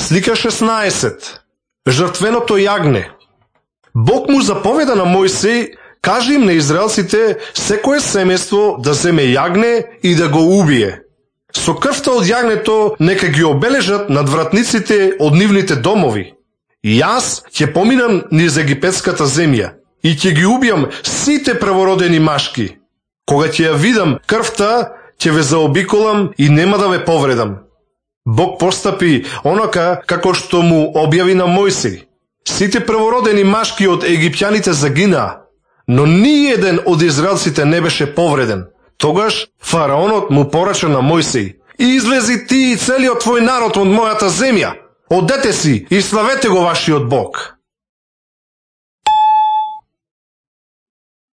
Слика 16. Жртвеното јагне. Бог му заповеда на Мојсей, кажи им на израелците секое семејство да земе јагне и да го убие. Со крвта од јагнето нека ги обележат над вратниците од нивните домови. И јас ќе поминам низ египетската земја и ќе ги убијам сите првородени машки. Кога ќе ја видам крвта, ќе ве заобиколам и нема да ве повредам. Бог постапи онака како што му објави на Мојсей. Сите првородени машки од египтјаните загинаа, но ни еден од израелците не беше повреден. Тогаш фараонот му порача на Мојсей: излези ти и целиот твој народ од мојата земја, одете си и славете го вашиот Бог.